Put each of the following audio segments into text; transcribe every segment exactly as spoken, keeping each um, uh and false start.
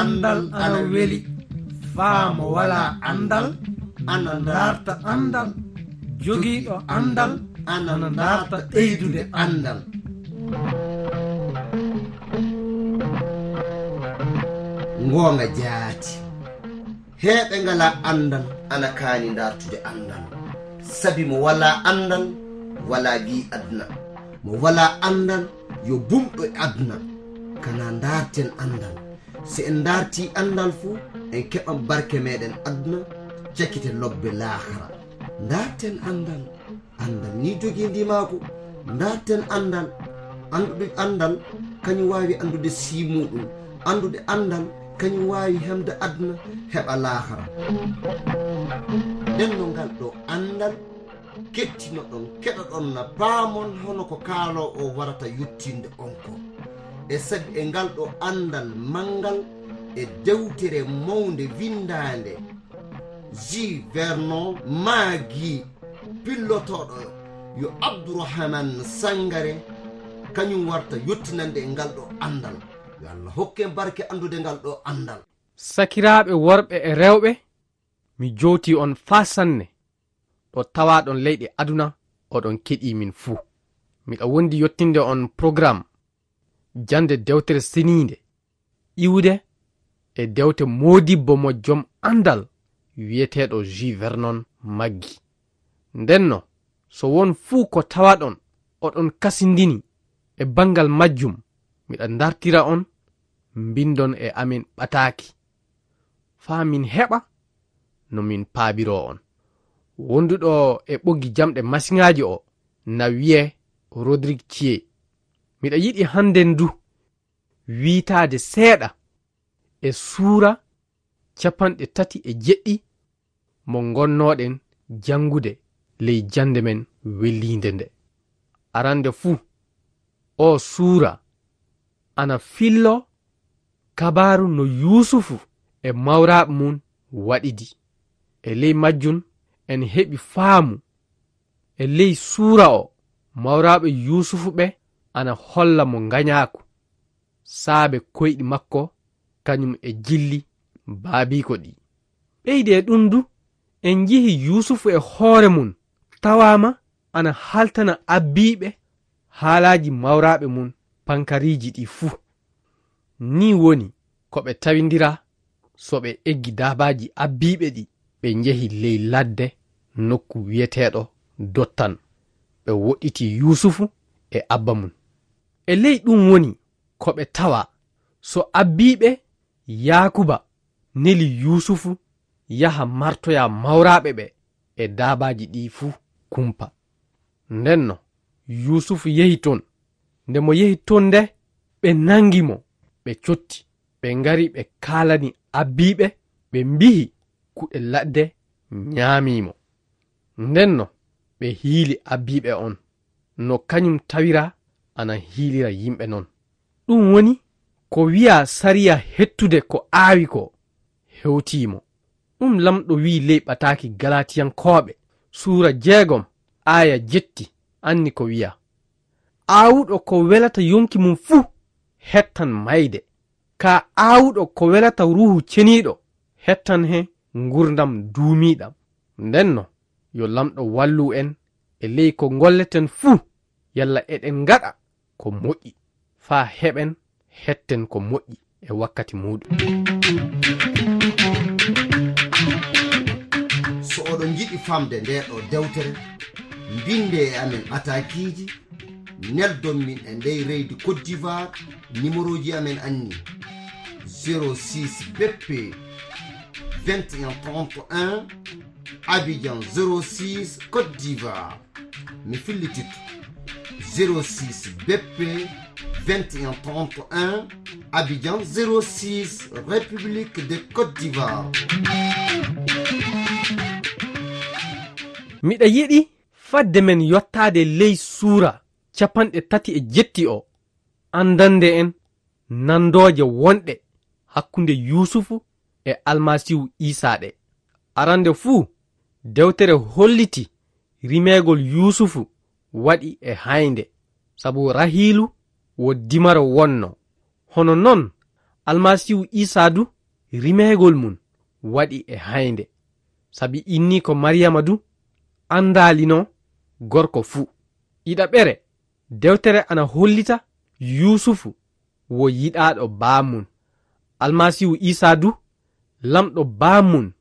Anndal ana weli. Faa mo walaa anndal ana ndaarta anndal. Jogiiɗo anndal ana ndaarta ɓeydude anndal. Ngoonga jaati. Heeɓe ngalaa anndal ana kaani ndaartude anndal. Sabi mo walaa anndal, walaa gii aduna. Mo walaa anndal, yo bumɗo e aduna. Kana ndaarten anndal. Si en ndaartii anndal fu, en keɓan barke meɗen aduna, cakite lobbe laakara. Ndaarten anndal. Anndal ni jogii ndimaagu. Ndaarten anndal. Anndude anndal, kañum waawi anndude sii muuɗum. Anndude anndal, kañum waawi hemde aduna, heɓa laakara. Nden no ngal ɗo anndal, kettinoɗon, keɗoɗon na paamon hono ko kaaloowo o warata yottinde on ko. E sabi e ngal ɗo anndal manngal e dewtere mawnde winndaande, J. Vernon Maggi, pillotooɗo yo Abdourahmane Sangare, kañum warta yottinande e ngal ɗo anndal. Yo Allah hokke en barke anndude ngal ɗo anndal. Sakiraaɓe worɓe e rewɓe, mi jowtii on faa sanne, ɗo tawaaɗon leyɗe aduna, oɗon keɗii min fuu. Miɗa wondi yottinde on programme jannde dewtere seniinde, iwde e dewte moodibbo mo jom anndal wiyeteeɗo J. Vernon Maggi. Ndenno, so won fuu ko tawaɗon oɗon kasindini e banngal majjum, miɗa ndartira on, mbinndon e amen ɓataaki, faa min heɓa no min paabiroo on. Wonduɗo e ɓoggi jamɗe masiŋaaji o na wiyee Rodrigue Thier. Miɗa yiɗi hannden du wiitaade seeɗa e suura capanɗe tati e jeɗɗi mo ngonnoɗen janngude ley jannde men welliinde nde. Arande fuu, oo suura ana fillo kabaaru no Yuusufu e mawraaɓe mum waɗidi. E ley majjum en heɓi faamu. E ley suura o, mawraaɓe Yuusufu ɓe ana holla mo ngañaaku saabe koyɗi makko kañum e jilli baabiiko ɗi. Ɓeydi e ɗum du, en njihi Yuusufu e hoore mum tawaama ana haltana abbiiɓe haalaaji mawraaɓe mum pankariiji ɗi fuu. Nii woni ko ɓe tawindira so ɓe eggi daabaaji abbiiɓe ɗi, ɓe njehi ley ladde nokku wiyeteeɗo Dottan. Ɓe woɗɗiti Yuusufu e abba mum. E ley ɗum woni ko ɓe tawa so abbiiɓe Yaakuba neli Yuusufu yaha martoya mawraaɓe ɓe e daabaaji ɗi fuu kumpa. Ndenno, Yuusufu yehi ton. Nde mo yehi ton nde, ɓe nangi mo, ɓe cotti. Ɓe ngari ɓe kaalani abbiiɓe, ɓe mbihi kuɗe ladde ñaamii mo. Ndenno, ɓe hiili abbiiɓe on, no kañum tawira ana hiilira yimɓe non. Ɗum woni ko wiyaa sariya hettude ko aawi ko hewtii mo. Ɗum Lamɗo wi'i ley ɓataaki Galatiyankooɓe, suura jeegom, aaya jetti, anni ko wiyaa, aawuɗo ko welata yonki mum fuu, hettan mayde. Kaa aawuɗo ko welata Ruuhu Ceniiɗo, hettan he ngurdam duumiiɗam. Ndenno, yo Lamɗo wallu en e ley ko ngolleten fuu, yalla eɗen ngaɗa ko moƴƴi, faa heɓen hetten ko moƴƴi e wakkati muuɗum. So oɗon njiɗi famde ndee ɗoo dewtere, mbinde e amen ɓataakiiji, neldon min e ndey reydi Côte d'Ivoire, numéroji amen anni: zéro six B P vingt et un trente et un, Abidjan zéro six, Côte d'Ivoire. Mi fillititto: zéro six B P vingt et un trente et un, Abidjan zéro six, République de Côte d'Ivoire. Miɗa yiɗi fadde men yottaade ley suura capanɗe tati e jetti o, anndande en nanndooje wonɗe hakkunde Yuusufu e Almasiihu Iisaa ɗe. Arande fuu, dewtere holliti rimeegol Yuusufu waɗi e haynde, sabu Rahiilu wo dimaro wonno. Hono non, Almasiihu Iisaa du rimeegol mum waɗi e haynde. Sabi inniiko Mariyama du anndaalino gorko fuu. Ɗiɗaɓere, dewtere ana hollita Yuusufu wo yiɗaaɗo baamum. Almasiihu Iisaa du, Laamɗo baamum,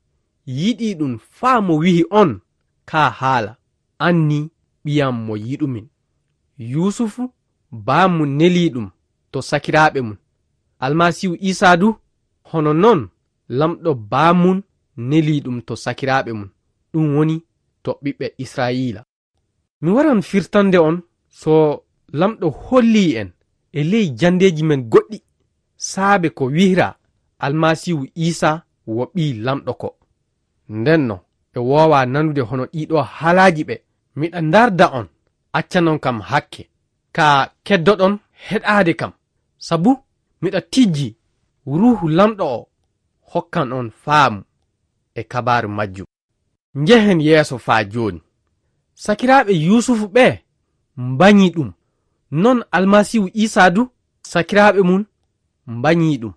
yiɗii ɗum faa mo wi'i on kaa haala, "Anni ɓiyam mo yiɗumin." Yuusufu baamum nelii ɗum to sakiraaɓe mum. Almasiihu Iisaa du, hono noon Laamɗo baamum nelii ɗum to sakiraaɓe mum, ɗum woni to ɓiɓɓe Israa'iila. Mi waran firtande on so Laamɗo hollii en e ley janndeeji men goɗɗi saabe ko wi'raa Almasiihu Iisaa wo Ɓii Laamɗo ko. Ndenno, ɓe woowaa nanude hono ɗiɗo haalaaji ɓe. Miɗa ndaarda on, accanon kam hakke, kaa keddoɗon heɗaade kam, sabu miɗa tijji Ruuhu Laamɗo o hokkan on faamu e kabaaru majjum. Njehen yeeso faa jooni. Sakiraaɓe Yuusufu ɓee mbañi ɗum. Noon Almasiihu Iisaa du, sakiraaɓe mum mbañi ɗum.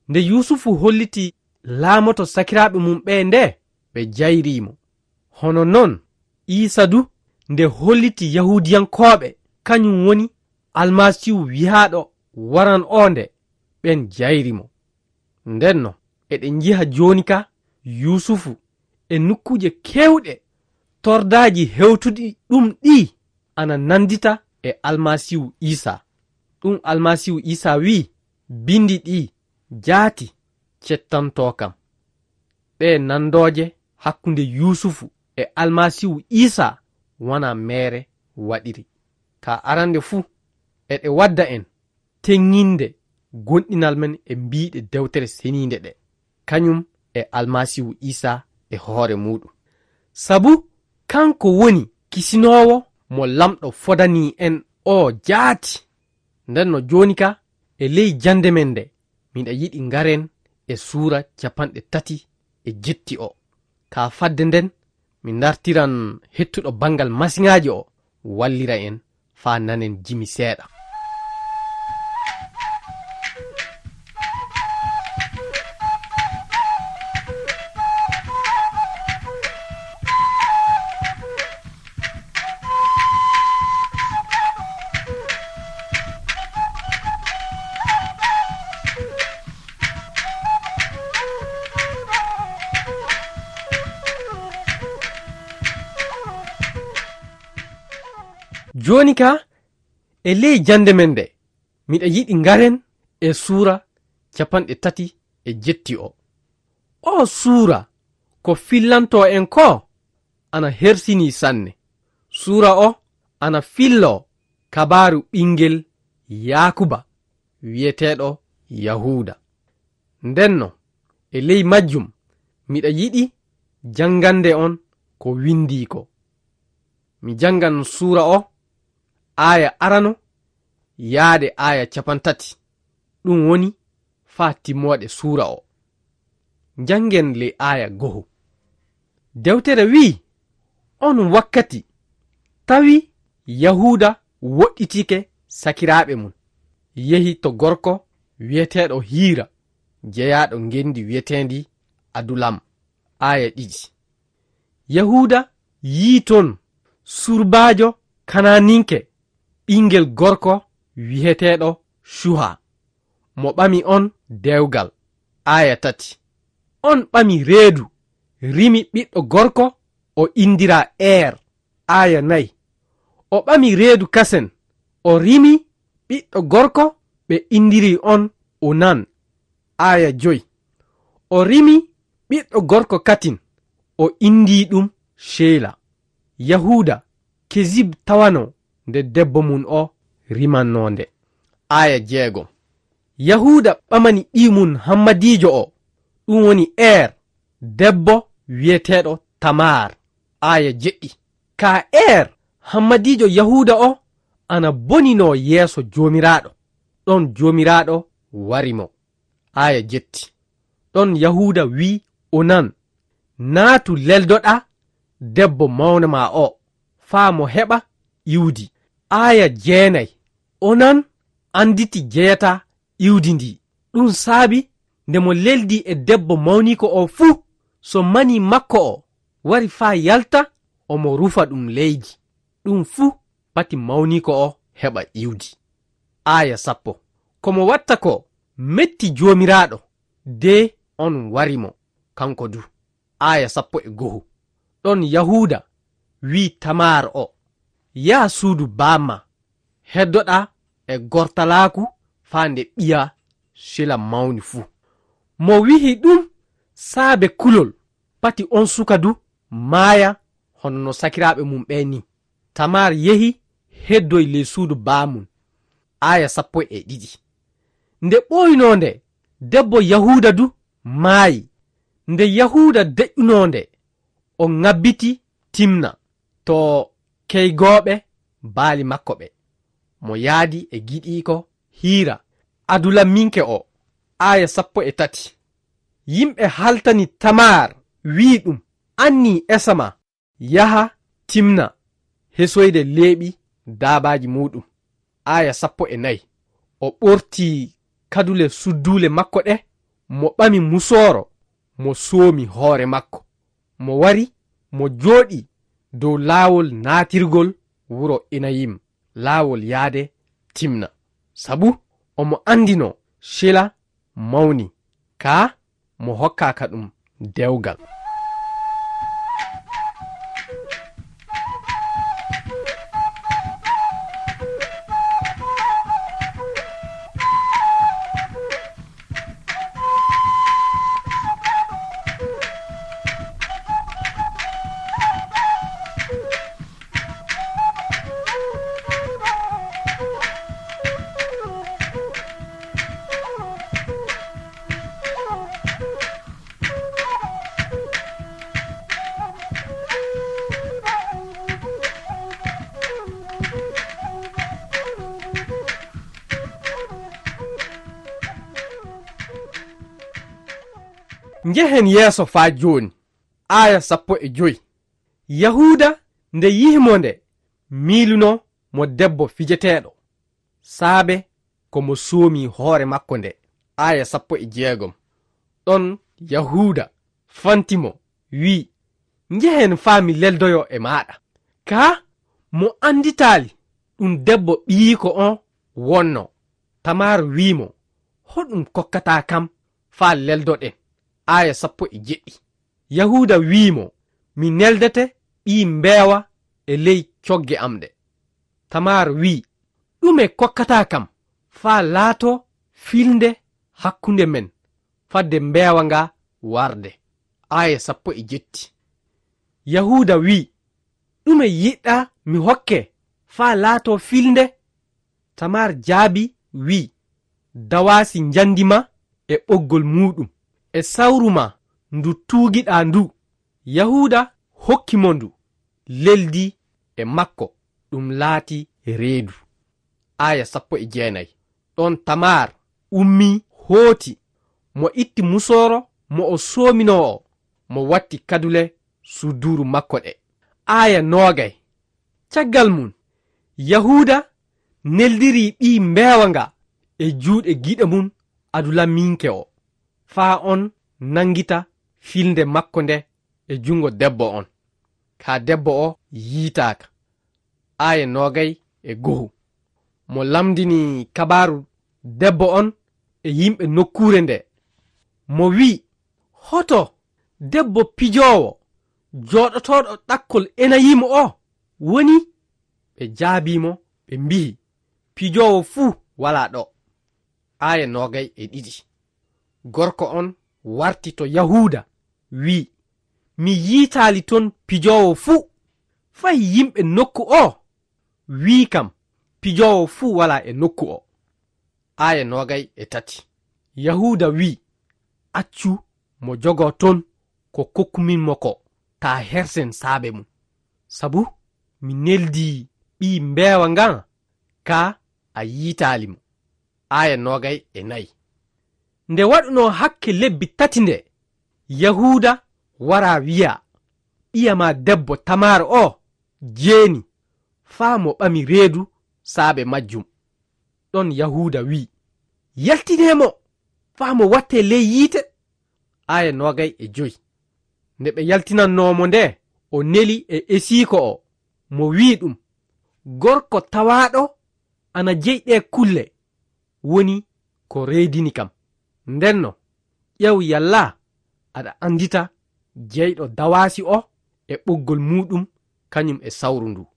Nde Yuusufu holliti laamoto sakiraaɓe mum ɓee ndee, ɓe jayrii mo. Hono noon, Iisaa du, nde holliti Yahuudiyankooɓe kañum woni Almasiihu wiyaaɗo waran oo nde, ɓeen jayri mo. Ndenno, eɗen njiha jooni ka Yuusufu e nokkuuje keewɗe, tordaaji hewtuɗi ɗum ɗii ana nanndita e Almasiihu Iisaa. Ɗum Almasiihu Iisaa wi'i, "Binndi ɗii jaati cettantoo kam." Ɗee nanndooje hakkunde Yuusufu e Almasiihu Iisaa wanaa meere waɗiri. Ka arande fuu, eɗe wadda en teŋŋinde gomɗinal men e mbiiɗe Dewtere Seniinde ɗe, kañum e Almasiihu Iisaa e hoore muuɗum. Sabu kanko woni kisinoowo mo Laamɗo fodanii en oo jaati. Ndenno jooni ka, e ley jannde men nde, miɗa yiɗi ngaren e suura capanɗe tati e jetti o. Ka fadde nden, mi ndartiran hettuɗo banngal masiŋaaji o, wallira en faa nanen jimi seeɗa. Jooni ka, e ley jannde men nde, miɗa yiɗi ngaren e suura capanɗe tati e jetti o. Oo suura, ko fillantoo en koo, ana hersinii sanne. Suura o ana filloo kabaaru ɓinngel Yaakuba wi'eteeɗo Yahuuda. Ndenno, e ley majjum, miɗa yiɗi janngande on ko winndii ko. Mi janngan suura o, aaya arano yaade aaya capantati, ɗum woni faa timmooɗe suura o. Njanngen ley aaya goho. Dewtere wi'i, "On wakkati tawi Yahuuda woɗɗitike sakiraaɓe mum, yehi to gorko wi'eteeɗo Hiira, jeyaaɗo ngenndi wi'eteendi Adulam." Aaya ɗiɗi. Yahuuda yi'i ton surbaajo Kanaaninke, ɓinngel gorko wi'eteeɗo Cuha, mo ɓami on dewgal. Aaya tati. On ɓami reedu, rimi ɓiɗɗo gorko, o inndiraa Eer. Aaya nayi. O ɓami reedu kasen, o rimi ɓiɗɗo gorko, ɓe inndiri on Onan. Aaya joy. O rimi ɓiɗɗo gorko katin, o inndii ɗum Sheela. Yahuuda, Kezib tawanoo nde debbo mum o rimannoo nde. Aaya jeegom. Yahuuda ɓamani ɓii mum hammadiijo o, ɗum woni Eer, debbo wi'eteeɗo Tamaar. Aaya jeɗɗi. Ka Eer, hammadiijo Yahuuda o ana boninoo yeeso Joomiraaɗo, ɗon Joomiraaɗo wari mo. Aaya jetti. Ɗon Yahuuda wi'i Onan, "Naatu leldoɗaa debbo mawna maa o, faa mo heɓa iwdi." Aaya jeenay. Onan annditi jeyataa iwdi ndi. Ɗum saabi Nde mo leldi e debbo mawniiko o fuu, so manii makko o wari faa yalta, omo rufa ɗum leydi. Ɗum fuu pati mawniiko o heɓa iwdi. Aaya sappo. Ko mo watta ko metti Joomiraaɗo, de oon wari mo, kanko du. Aaya sappo e go'o. Ɗon Yahuuda wi'i Tamaar o, "Yaa suudu baamma, heddoɗaa e gortalaaku faa nde ɓiya Sela mawni fuu." Mo wi'i ɗum saabe kulol, pati oon suka du maaya hono no sakiraaɓe mum ɓeen ni. Tamaar yehi heddoy ley suudu baamum. Aaya sappo e ɗiɗi. Nde ɓooynoo nde, debbo Yahuuda du maayi. Nde Yahuuda deƴƴunoo nde, o ŋabbiti Timna to keygooɓe baali makko ɓe. Mo yaadi e giɗiiko Hiira, Adulaminke o. Aaya sappo e tati. Yimɓe haltani Tamaar, wi'i ɗum, "Annii esa ma, yaha Timna hesoyde leeɓi daabaaji muuɗum." Aaya sappo e nayi. O ɓorti kadule sudduule makko ɗe, mo ɓami musooro, mo soomi hoore makko. Mo wari, mo jooɗii dow laawol naatirgol wuro Enayim, laawol yaade Timna. Sabu omo anndino Sela mawni, kaa mo hokkaaka ɗum dewgal. Njehen yeeso faa jooni. Aaya sappo e joy. Yahuuda nde yihi mo nde, miiluno mo debbo fijeteeɗo, saabe ko mo soomi hoore makko nde. Aaya sappo e jeegom. Ɗon Yahuuda fanti mo, wi'i, "Njehen faa mi leldoyo e maaɗa." Kaa mo annditaali ɗum debbo ɓiyiiko on wonno. Tamaar wi'i mo, "Hoɗum kokkataa kam faa leldoɗen?" Aaya sappo e jeɗɗi. Yahuuda wi'i mo, "Mi neldete ɓii mbeewa e ley cogge am ɗe." Tamaar wi'i, "Ɗume kokkataa kam faa laatoo filnde hakkunde men, fadde mbeewa nga warde?" Aaya sappo e jetti. Yahuuda wi'i, "Ɗume yiɗɗaa mi hokke faa laatoo filnde?" Tamaar jaabii, wi'i, "Dawaasi njandi ma e ɓoggol muuɗum, e sawru ma ndu tuugiɗaa ndu." Yahuuda hokki mo ndu, leldi e makko, ɗum laati reedu. Aaya sappo e jeenayi. Ɗon Tamaar ummii, hooti, mo itti musooro mo o soominoo o, mo watti kadule suduuru makko ɗe. Aaya noogay. Caggal mum, Yahuuda neldiri ɓii mbeewa nga e juuɗe giɗo mum Adulaminke o, faa on nanngita filnde makko nde e junngo debbo on, kaa debbo o yiitaaka. Aaya noogay e go'o. Mo lamndini kabaaru debbo on e yimɓe nokkuure nde, mo wi'i, "Hoto debbo pijoowo jooɗotooɗo ɗakkol Enayim o woni?" Ɓe jaabii mo, ɓe mbi'i, "Pijoowo fuu walaa ɗo." Aaya noogay e ɗiɗi. Gorko on warti to Yahuuda, wi'i, "Mi yiitaali ton pijoowo fuu. Fay yimɓe nokku o wi'i kam, pijoowo fuu walaa e nokku o." Aaya noogay e tati. Yahuuda wi'i, "Accu mo jogoo ton ko kokkumin mo ko, taa hersen saabe mum. Sabu mi neldii ɓii mbeewa ngan, kaa a yiitaali mo." Aaya noogay e nayi. Nde waɗunoo hakke lebbi tati nde, Yahuuda waraa wi'aa, "Ɓiya maa debbo Tamaar o jeeni, faa mo ɓami reedu saabe majjum." Ɗon Yahuuda wi'i, "Yaltinee mo, faa mo wattee ley yiite. Aaya noogay e joy. Nde ɓe yaltinannoo mo nde, o neli e esiiko o, mo wi'i ɗum, gorko tawaaɗo ana jeyi ɗee kulle, woni ko reedini kam. Ndenno, ƴeew yalla aɗa anndita jeyɗo dawaasi o e ɓoggol muuɗum, kañum e sawru ndu.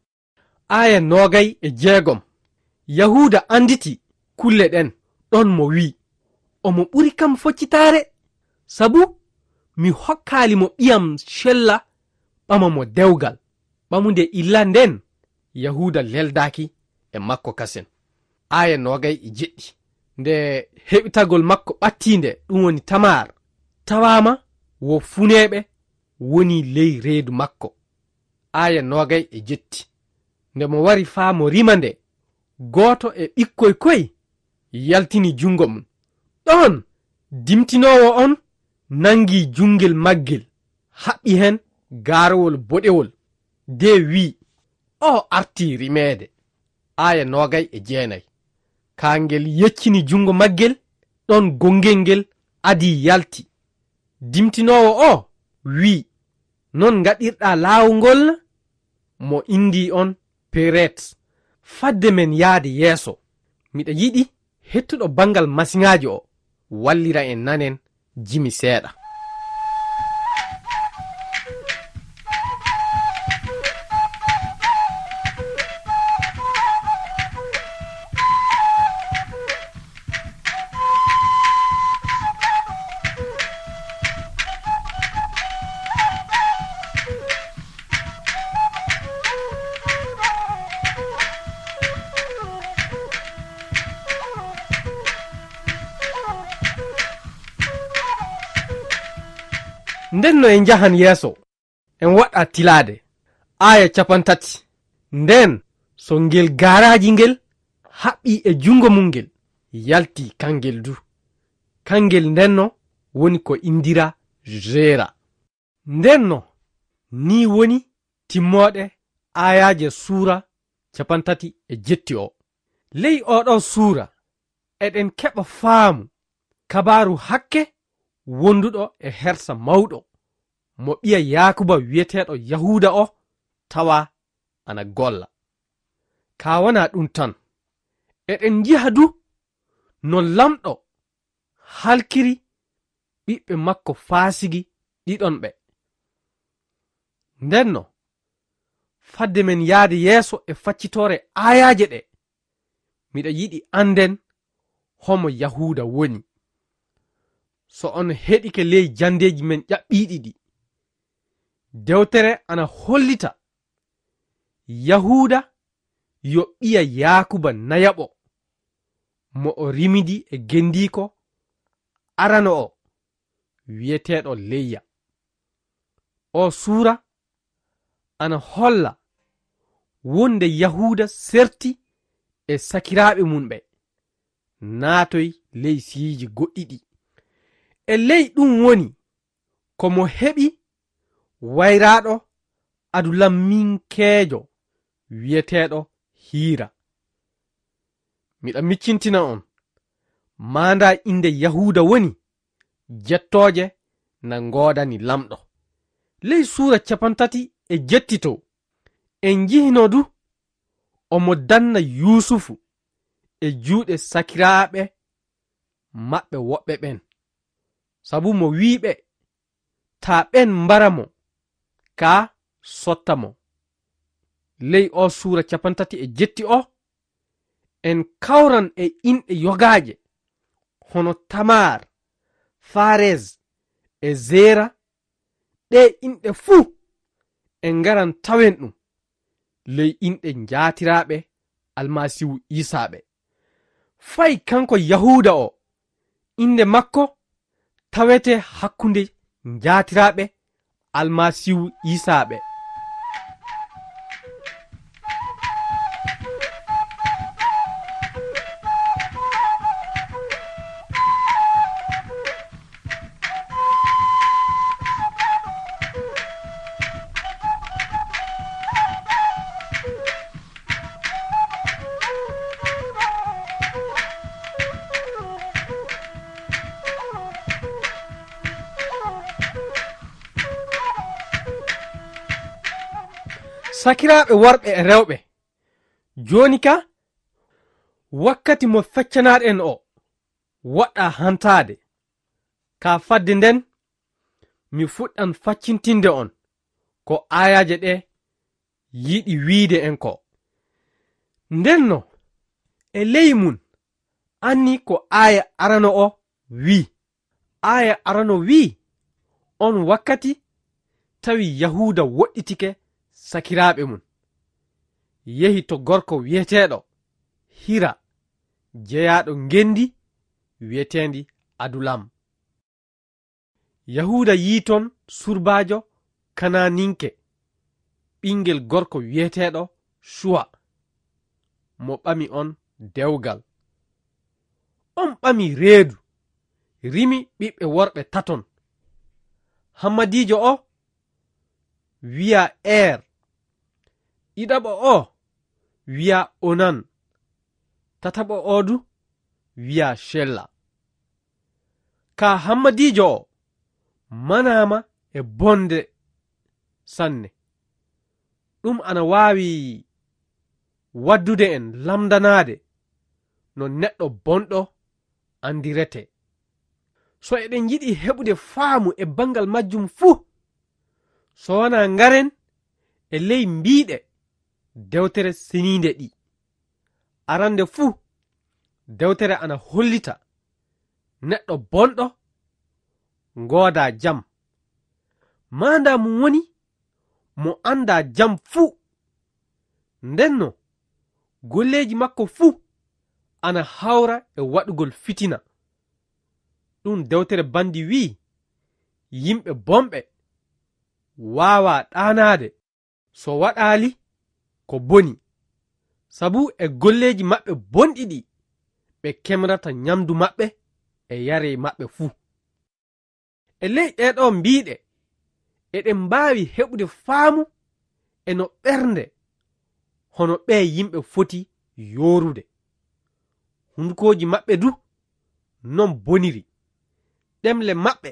Aaya noogay e jeegom. Yahuuda annditi kulle ɗen, ɗon mo wi'i, omo ɓuri kam foccitaare, sabu mi hokkaali mo ɓiyam cella ɓama mo dewgal. Ɓamu nde illa nden, Yahuuda leldaaki e makko kasen. Aaya noogay e jeɗɗi. Nde heɓitagol makko ɓattiinde, ɗum woni Tamar, tawaama wo funeeɓe woni ley reedu makko. Aaya noogay e jetti. Nde mo wari faa mo rima nde, gooto e ɓikkoy koy yaltini junngo mum. Ɗon, dimtinoowo on nangi junngel maggel, haɓɓi hen gaarowol boɗewol, de wi'i, "Oo artii rimeede." Aaya noogay e jeenay. Kaa ngel yeccini junngo maggel, ɗon gonngel ngel adii yalti. Dimtinoowo o wi'i, "Non ngaɗirɗaa laawol ngol na?" Mo inndii on Peret. Fadde men yaade yeeso, miɗa yiɗi hettuɗo banngal masiŋaaji o wallira en nanen jimi seeɗa. Nden no en njahan yeeso, en waɗa tilaade. Aaya capantati. Nden so ngel gaaraaji ngel haɓɓi e junngo mum ngel, yalti kangel du. Kangel ndenno woni ko inndira Jeera. Ndenno, nii woni timmooɗe aayaaje suura capantati e jetti o. Ley oɗo suura, eɗen keɓa faamu kabaaru hakke wonduɗo e hersa mawɗo, mo ɓiya Yaakuba wi'eteeɗo Yahuuda o tawa ana golla. Kaa wanaa ɗum tan, eɗen njiha du no Laamɗo halkiri ɓiɓɓe makko faasigi ɗiɗon ɓe. Ndenno, fadde men yaade yeeso e faccitoore aayaaje ɗe, miɗa yiɗi annden homo Yahuuda woni. So on heɗike ley janndeeji men ƴaɓɓiiɗi ɗi, dewtere ana hollita Yahuuda yo ɓiya Yaakuba nayaɓo, mo o rimidi e gendiiko arano o, wi'eteeɗo Leyya. O suura ana holla wonde Yahuuda serti e sakiraaɓe mum ɓe, naatoy ley siyiiji goɗɗi ɗi. E ley ɗum woni ko mo heɓi wayraaɗo Adulamminkeejo wi'eteeɗo Hiira. Miɗa miccintina on, maandaa innde Yahuuda woni, jettooje na ngoodani Laamɗo. Ley suura capantati e jetti to, en njihino du omo danna Yuusufu e juuɗe sakiraaɓe maɓɓe woɓɓe ɓen. Sabu mo wi'i ɓe, "Taa ɓen mbara mo, kaa sotta mo." Ley o suura capantati e jetti o, en kawran e inɗe yogaaje, hono Tamar, Fares e Zera, ɗee inɗe fuu en ngaran tawen ɗum ley inɗe njaatiraaɓe Almasiihu Iisaa ɓe. Fay kanko Yahuuda o, innde makko tawete hakkunde njaatiraaɓe Almasiihu Iisaa ɓe. Sakiraaɓe worɓe e rewɓe, jooni ka, wakkati mo feccanaɗen o woɗɗa hantaade. Ka fadde nden, mi fuɗɗan faccintinde on ko aayaaje ɗe yiɗi wiide en ko. Ndenno, e ley mun, anni ko aaya arano o wii. Aaya arano wii, on wakkati tawi Yahuuda woɗɗitike sakiraaɓe mun. Yehi to gorko wi'eteeɗo Hira, jeyaaɗo ngenndi wi'eteendi Adulam. Yahuuda yii ton surbaajo Kanaaninke, ɓinngel gorko wi'eteeɗo Cuwa, mo ɓami on dewgal. On ɓami reedu, rimi ɓiɓɓe worɓe taton. Hammadiijo o wi'a Er, ɗiɗaɓo o wi'a Onan, tataɓo o du wi'a Cella. Ka hammadiijo o manaama e bonde sanne. Ɗum ana waawi waddude en lamndanaade no neɗɗo bonɗo anndiretee. So eɗen yiɗi heɓude faamu e banngal majjum fuu, so wanaa ngaren e ley mbiiɗe dewtere seniinde ɗi. Arannde fuu, dewtere ana hollita neɗɗo bonɗo ngoodaa jam. Maandaa mum woni mo anndaa jam fuu. Ndenno, golleeji makko fuu ana hawra e waɗugol fitina. Ɗum dewtere banndi wi'i, yimɓe bonɓe waawaa ɗaanaade so waɗaali ko boni, sabu e golleeji maɓɓe bonɗi ɗi ɓe kemrata nyamdu maɓɓe e yaree maɓɓe fuu. E ley ɗee ɗoo mbiiɗe, eɗen mbaawi heɓude faamu e no ɓernde hono ɓee yimɓe foti yoorude. Hundukooji maɓɓe du non boniri. Ɗemle maɓɓe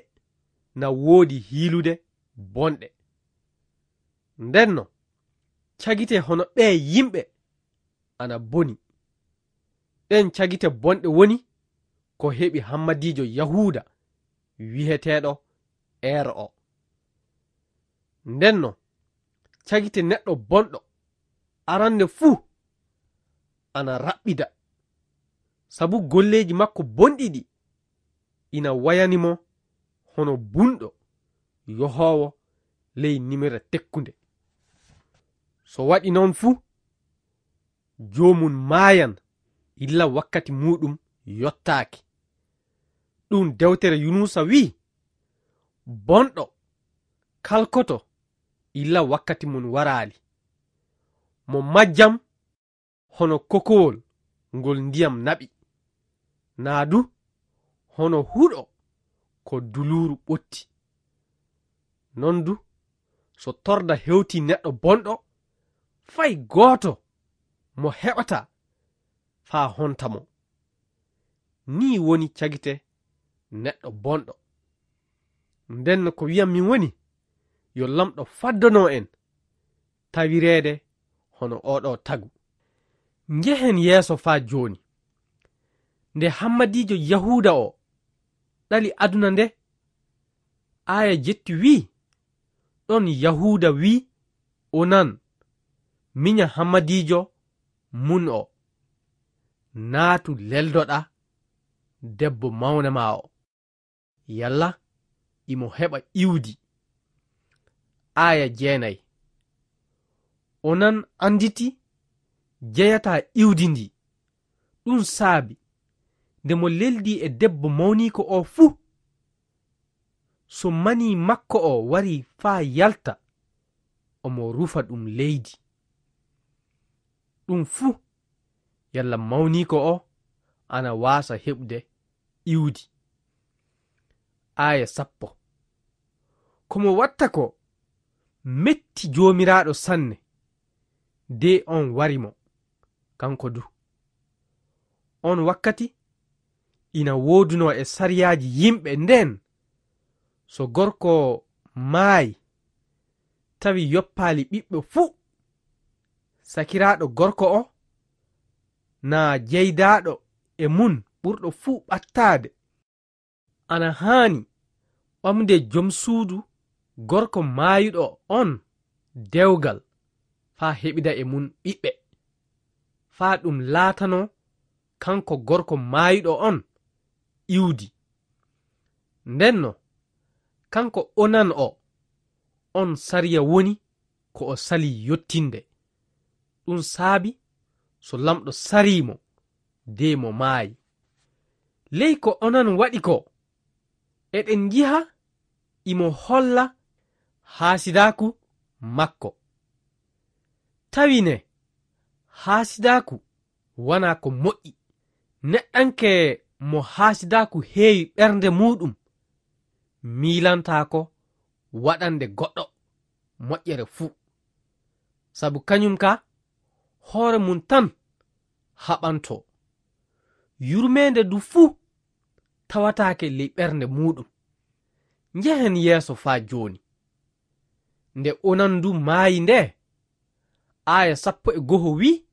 na woodi hiilude bonɗe. Ndenno, cagite hono ɓee yimɓe ana boni. Ɗen cagite bonɗe woni ko heɓi hammadiijo Yahuuda wi'eteeɗo Er o. Ndenno, cagite neɗɗo bonɗo arannde fuu ana raɓɓida, sabu golleeji makko bonɗi ɗi ina wayani mo hono bunɗo yohoowo ley nimere tekkunde. So waɗi noon fuu, joomum maayan illa wakkati muuɗum yottaaki. Ɗum dewtere Yunusa wi'i, bonɗo kalkoto illa wakkati mum waraali. Mo majjam hono kokowol ngol ndiyam naɓi, naa du hono huɗo ko duluuru ɓotti. Non du, so torda hewtii neɗɗo bonɗo, fay gooto mo heɓataa faa honta mo. Nii woni cagite neɗɗo bonɗo. Nden ko wiyammi woni, yo Lamɗo faddono en tawireede hono oo ɗoo tagu. Njehen yeeso faa jooni. Nde hammadiijo Yahuuda o ɗali aduna nde, aaya jetti wi'i, ɗon Yahuuda wi'i Onan, minya hammadiijo mun o, naatu leldoɗaa debbo mawna maa o. Yalla imo heɓa iwdi. Aaya jeenay. Onan annditi jeyataa iwdi ndi. Ɗum saabi, nde mo leldi e debbo mawniiko o fuu, so manii makko o warii faa yalta, omo rufa ɗum leydi. Ɗum fuu, yalla mawniiko o ana waasa heɓude iwdi. Aaya sappo. Ko mo watta ko metti Joomiraaɗo sanne, de on wari mo, kanko du. On wakkati ina woodunoo e sariyaaji yimɓe ndeen, so gorko maayi, tawi yoppaali ɓiɓɓe fuu, sakiraaɗo gorko o, naa jeydaaɗo e mun ɓurɗo fuu ɓattaade, ana haani ɓamde jom suudu gorko maayuɗo on dewgal faa heɓida e mun ɓiɓɓe, faa ɗum laatanoo kanko gorko maayuɗo on iwdi. Ndenno, kanko Onan o, on sariya woni ko o salii yottinde. Ɗum saabi so Laamɗo sarii mo, de mo maayi. Ley ko Onan waɗi ko, eɗen njiha imo holla haasidaaku makko. Tawi ne, haasidaaku wanaa ko moƴƴi. Neɗɗanke mo haasidaaku heewi ɓernde muuɗum, miilantaako waɗande goɗɗo moƴƴere fuu. Sabu kañum ka, hoore mum tan haɓantoo. Yurmeende du fuu tawataake ley ɓernde muuɗum. Njehen yeeso faa jooni. Nde Onan du maayi nde, aaya sappo e go'o wi'i,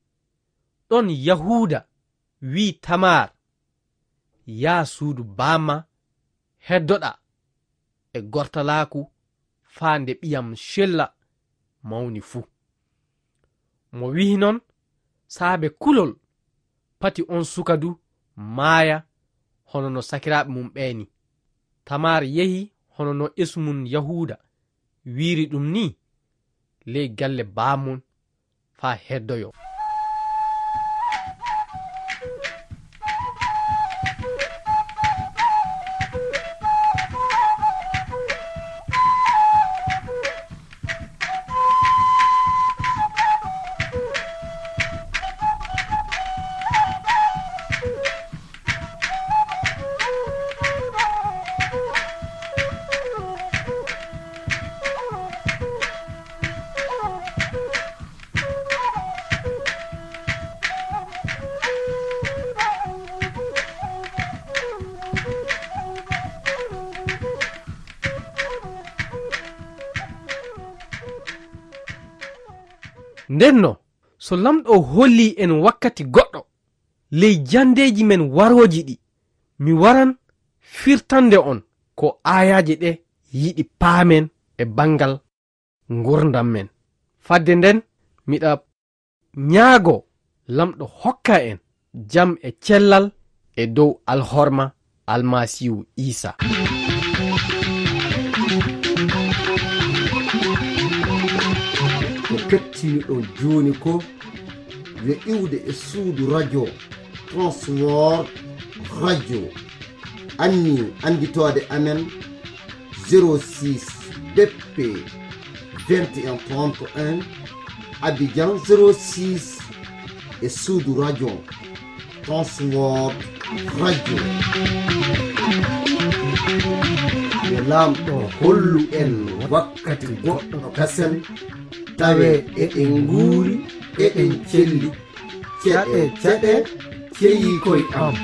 ɗon Yahuuda wi'i Tamar, "Yaa suudu baamma, heddoɗaa e gortalaaku faa nde ɓiyam cella mawni fu." Mo wi'i non saabe kulol, pati on suka du maaya hono no sakiraaɓe mum ɓee ni. Tamar yehi hono no esum Yahuuda wi'iri ɗum ni, ley galle baamum faa heddoyoo. Ndenno, so Laamɗo hollii en wakkati goɗɗo ley janndeeji men warooji ɗi, mi waran firtande on ko aayaaje ɗe yiɗi paamen e banngal ngurndan men. Fadde nden, miɗa ñaagoo Laamɗo hokka en jam e cellal e dow alhorma Almasiihu Iisa. Ko kettiniɗon jooni ko yo iwde e suudu radio Transworld Radio. Anni annditoode amen, zéro six B P vingt et un trente et un, Abidjan zéro six, e suudu radio Transworld Radio. Yo Laamɗo hollu en wakkati goɗɗo kasen, tawe eɗen nguuri, eɗen celli. Ceɗe, ceɗe, ceyi koy am.